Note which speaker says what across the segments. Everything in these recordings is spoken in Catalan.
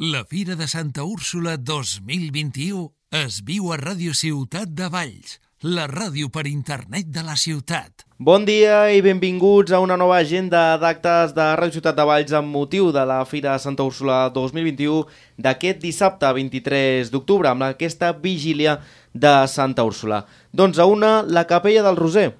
Speaker 1: La Fira de Santa Úrsula 2021 es viu a Ràdio Ciutat de Valls, la ràdio per internet de la ciutat.
Speaker 2: Bon dia i benvinguts a una nova agenda d'actes de Ràdio Ciutat de Valls amb motiu de la Fira de Santa Úrsula 2021 d'aquest dissabte 23 d'octubre amb aquesta vigília de Santa Úrsula. Doncs a una, la Capella del Roser.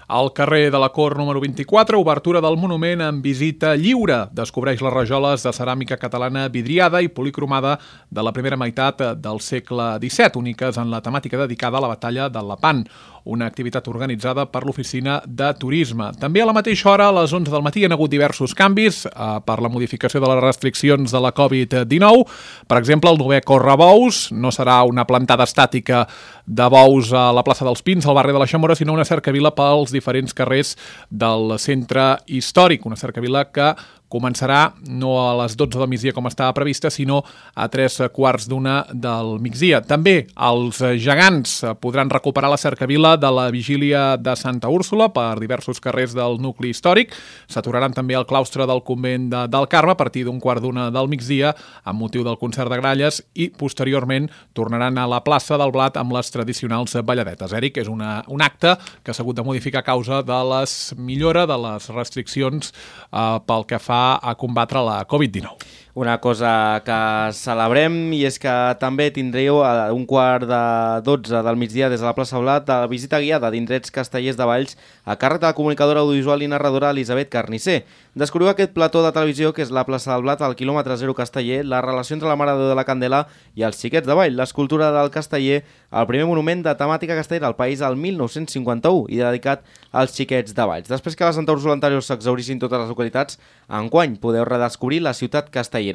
Speaker 3: Al carrer de la Cort número 24, obertura del monument amb visita lliure. Descobreix les rajoles de ceràmica catalana vidriada i policromada de la primera meitat del segle XVII, úniques en la temàtica dedicada a la batalla del Lepant, una activitat organitzada per l'Oficina de Turisme. També a la mateixa hora, a les 11 del matí, hi ha hagut diversos canvis per la modificació de les restriccions de la Covid-19. Per exemple, el 9è Correbous no serà una plantada estàtica de bous a la plaça dels Pins, al barri de la Xamora, sinó una cercavila pels diferents carrers del centre històric, una cercavila que començarà no a les 12 del migdia com estava prevista, sinó a 3:15 del migdia. També els gegants podran recuperar la cercavila de la vigília de Santa Úrsula per diversos carrers del nucli històric. S'aturaran també al claustre del convent del Carme a partir d'1:15 del migdia amb motiu del concert de gralles i posteriorment tornaran a la plaça del Blat amb les tradicionals balladetes. Eric, és un acte que s'ha hagut de modificar a causa de la millora de les restriccions pel que fa a combatre la Covid-19.
Speaker 2: Una cosa que celebrem i és que també tindreu a 1:15 del migdia des de la plaça Blat la visita guiada d'indrets castellers de Valls a càrrec de la comunicadora audiovisual i narradora Elisabet Carnisser. Descobriu aquest plató de televisió que és la plaça del Blat al quilòmetre 0 Casteller, la relació entre la Mare de Déu de la Candela i els xiquets de Vall, l'escultura del Casteller, el primer monument de temàtica castellera al país al 1951 i dedicat als xiquets de Valls. Després que a la Santa Úrsula anterior s'exhaurissin totes les localitats, enguany podeu redescobrir la ciutat castellera.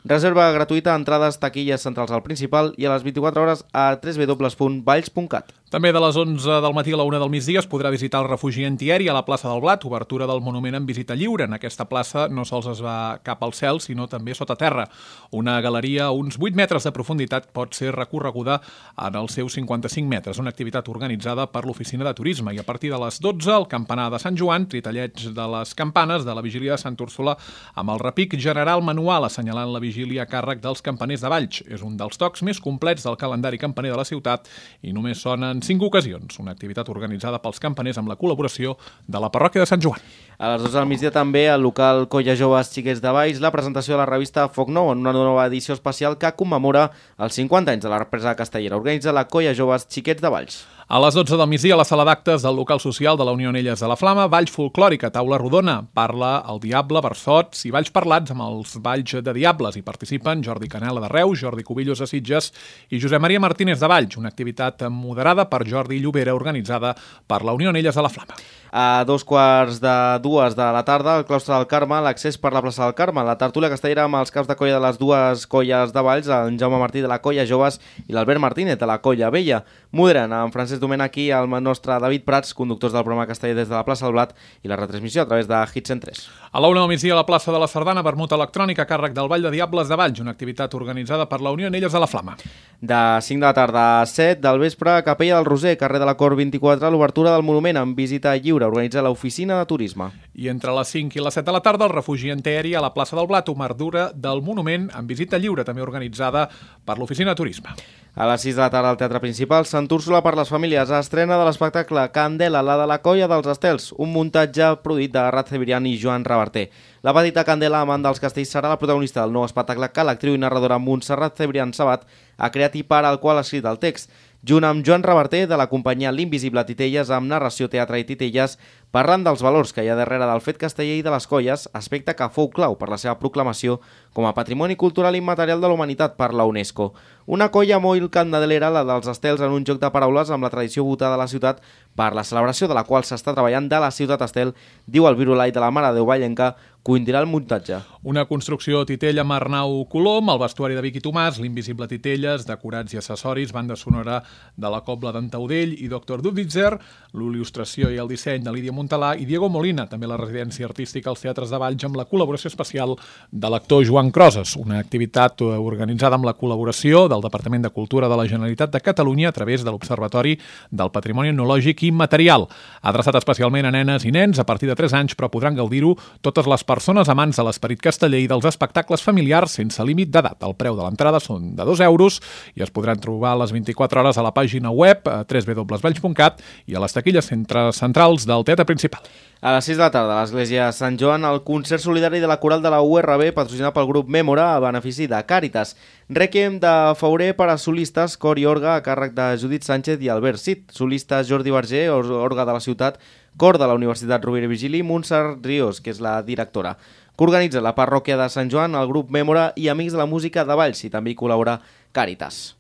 Speaker 2: Reserva gratuïta, entrades, taquilles centrals al principal i a les 24 hores a www.valls.cat.
Speaker 3: També de les 11 del matí a la 1 del migdia es podrà visitar el refugi antiaeri a la plaça del Blat, obertura del monument en visita lliure. En aquesta plaça no sols es va cap al cel, sinó també sota terra. Una galeria a uns 8 metres de profunditat pot ser recorreguda en els seus 55 metres, una activitat organitzada per l'Oficina de Turisme. I a partir de les 12, el campanar de Sant Joan, tritelleig de les campanes de la vigília de Santa Úrsula amb el repic general manual assenyalant la vigília a càrrec dels campaners de Valls. És un dels tocs més complets del calendari campaner de la ciutat i només sona en 5 ocasions, una activitat organitzada pels campaners amb la col·laboració de la parròquia de Sant Joan.
Speaker 2: A les 12 del migdia també al local Colla Joves Xiquets de Valls la presentació de la revista Foc Nou en una nova edició especial que commemora els 50 anys de la represa castellera. Organitza la Colla Joves Xiquets de Valls.
Speaker 3: A les 12 del migdia, a la sala d'actes del local social de la Unió Anelles de la Flama, Valls Folclòrica, taula rodona. Parla el Diable, versots i balls parlats amb els balls de Diables. Hi participen Jordi Canela de Reus, Jordi Cubillos de Sitges i Josep Maria Martínez de Valls, una activitat moderada per Jordi Llobera organitzada per la Unió Anelles de la Flama.
Speaker 2: A 2:45 de la tarda, al claustre del Carme, l'accés per la plaça del Carme, la tertúlia castellera amb els caps de colla de les dues colles de Valls, en Jaume Martí de la Colla Joves i l'Albert Martínez de la Colla Vella. Moderen en Francesc Domènech i el nostre David Prats, conductors del programa casteller des de la plaça del Blat i la retransmissió a través de Hit 103.
Speaker 3: A la 1 del migdia a la plaça de la Sardana, vermut electrònica a càrrec del Ball de Diables de Valls, una activitat organitzada per la Unió Anelles de la Flama.
Speaker 2: De 5 de la tarda a 7 del vespre, Capella del Roser, carrer de la Cort 24, l'obertura del monument amb visita lliure, organitza l'Oficina de Turisme.
Speaker 3: I entre les 5 i les 7 de la tarda, el refugi antiaeri a la plaça del Blat, obertura del monument amb visita lliure, també organitzada per l'Oficina de Turisme.
Speaker 2: A les 6 de la tarda al Teatre Principal, Sant Úrsula per les famílies, estrena de l'espectacle Candela, la de la Colla dels Estels, un muntatge produït de Rat Cebrián i Joan Reverter. La petita Candela, amant dels castells, serà la protagonista del nou espectacle que l'actriu i narradora Montserrat Cebrián Sabat ha creat i per al qual ha escrit el text. Junt amb Joan Reverter, de la companyia L'Invisible Titelles, amb narració, teatre i titelles, parlant dels valors que hi ha darrere del fet casteller i de les colles, aspecte que fou clau per la seva proclamació com a Patrimoni Cultural Immaterial de la Humanitat per la UNESCO. Una colla molt candelera, la dels Estels, en un joc de paraules amb la tradició votada de la ciutat per la celebració de la qual s'està treballant de la ciutat Estel, diu el virulai de la Mare de Déu Vallenca, coindirà el muntatge.
Speaker 3: Una construcció Titella amb Arnau Colom, el vestuari de Vicky Tomàs, l'Invisible Titelles, decorats i accessoris, banda sonora de la Cobla d'en Taudell i Dr. Duditzer, l'il·lustració i el disseny de Lídia Montalà, i Diego Molina, també la residència artística als Teatres de Valls, amb la col·laboració especial de l'actor Joan Croses, una activitat organitzada amb la col·laboració del Departament de Cultura de la Generalitat de Catalunya a través de l'Observatori del Patrimoni Etnològic i Material. Adreçat especialment a nenes i nens a partir de 3 anys, però podran gaudir-ho totes les persones amants de l'esperit casteller i dels espectacles familiars sense límit d'edat. El preu de l'entrada són de 2 euros i es podran trobar a les 24 hores a la pàgina web www.valls.cat i a les taquilles centrals del Teatre Principal.
Speaker 2: A les 6 de la tarda, a l'Església Sant Joan, el concert solidari de la coral de la URB, patrocinat pel grup Mèmora, a benefici de Càritas. Rèquiem de Fauré per a solistes, cor i orga, a càrrec de Judit Sánchez i Albert Cid. Solistes Jordi Verger, orga de la ciutat, cor de la Universitat Rovira i Virgili, Montserrat Ríos, que és la directora. Que organitza la parròquia de Sant Joan, el grup Mèmora i Amics de la Música de Valls, i també hi col·labora Càritas.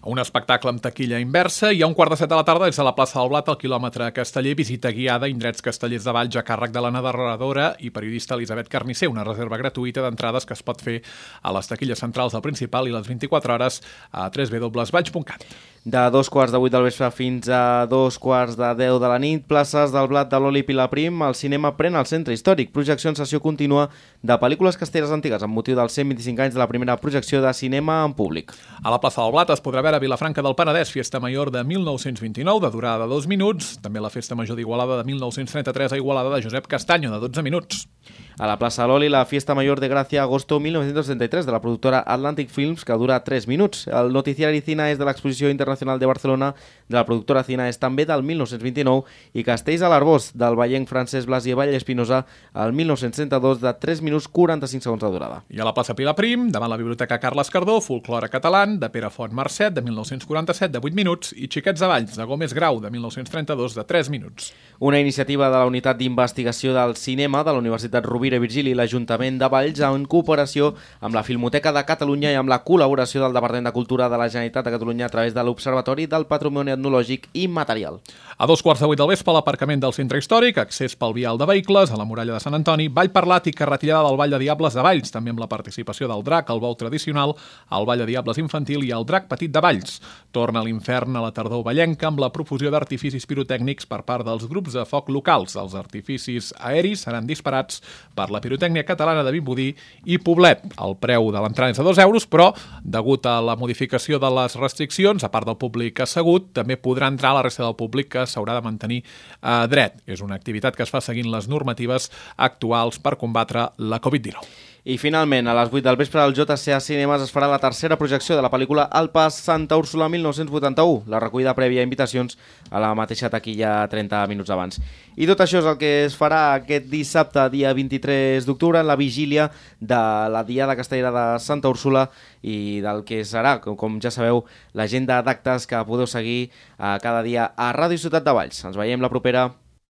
Speaker 3: Un espectacle amb taquilla inversa i a 6:45 de la tarda des de la plaça del Blat al quilòmetre Casteller, visita guiada a indrets castellers de Valls a càrrec de la narradora i periodista Elisabet Carnicer, una reserva gratuïta d'entrades que es pot fer a les taquilles centrals del Principal i les 24 hores a www.valls.cat.
Speaker 2: De 2:15 del vespre fins a 2:10 de la nit, places del Blat de l'Oli Pilaprim, el cinema pren el centre històric, projecció en sessió contínua de pel·lícules castelleres antigues amb motiu dels 125 anys de la primera projecció de cinema en públic.
Speaker 3: A la plaça del Blat es podrà veure Vilafranca del Penedès, Festa Major de 1929, de durada de 2 minuts, també la Festa Major d'Igualada de 1933 a Igualada de Josep Castanyo, de 12 minuts.
Speaker 2: A la plaça de l'Oli, la Fiesta Mayor de Gracia, agosto 1933, de la productora Atlantic Films, que dura 3 minuts. El noticiari Cina és de l'Exposició Internacional de Barcelona, de la productora Cina és també del 1929, i Castells a l'Arbós, del vallenc francès Blasi Vall Espinosa, el 1932, de 3 minuts 45 segons de durada.
Speaker 3: I a la plaça Pilaprim, davant la Biblioteca Carles Cardó, Folklore català, de Pere Font Marcet, de 1947, de 8 minuts, i Xiquets de Valls, de Gómez Grau, de 1932, de 3 minuts.
Speaker 2: Una iniciativa de la Unitat d'Investigació del Cinema de la Universitat Rovira i Virgili i l'Ajuntament de Valls en cooperació amb la Filmoteca de Catalunya i amb la col·laboració del Departament de Cultura de la Generalitat de Catalunya a través de l'Observatori del Patrimoni Etnològic i Material.
Speaker 3: A 2:15 del vespre, a l'aparcament del centre històric, accés pel vial de vehicles, a la muralla de Sant Antoni, ball parlat i carretillada del Ball de Diables de Valls, també amb la participació del drac, el bou tradicional, el Ball de Diables infantil i el drac petit de Valls. Torna a l'infern a la tardor vallenca amb la profusió d'artificis pirotècnics per part dels grups de foc locals. Els artificis aeris seran disparats per la pirotècnia catalana de Vimbodí i Poblet. El preu de l'entrada és de 2 euros, però, degut a la modificació de les restriccions, a part del públic assegut, també podrà entrar la resta del públic que s'haurà de mantenir dret. És una activitat que es fa seguint les normatives actuals per combatre la Covid-19.
Speaker 2: I finalment, a les 8 del vespre al JCA Cinemes es farà la tercera projecció de la pel·lícula El Pas Santa Úrsula 1981, la recollida prèvia a invitacions a la mateixa taquilla 30 minuts abans. I tot això és el que es farà aquest dissabte, dia 23 d'octubre, en la vigília de la Diada Castellera de Santa Úrsula i del que serà, com ja sabeu, l'agenda d'actes que podeu seguir cada dia a Ràdio Ciutat de Valls. Ens veiem la propera.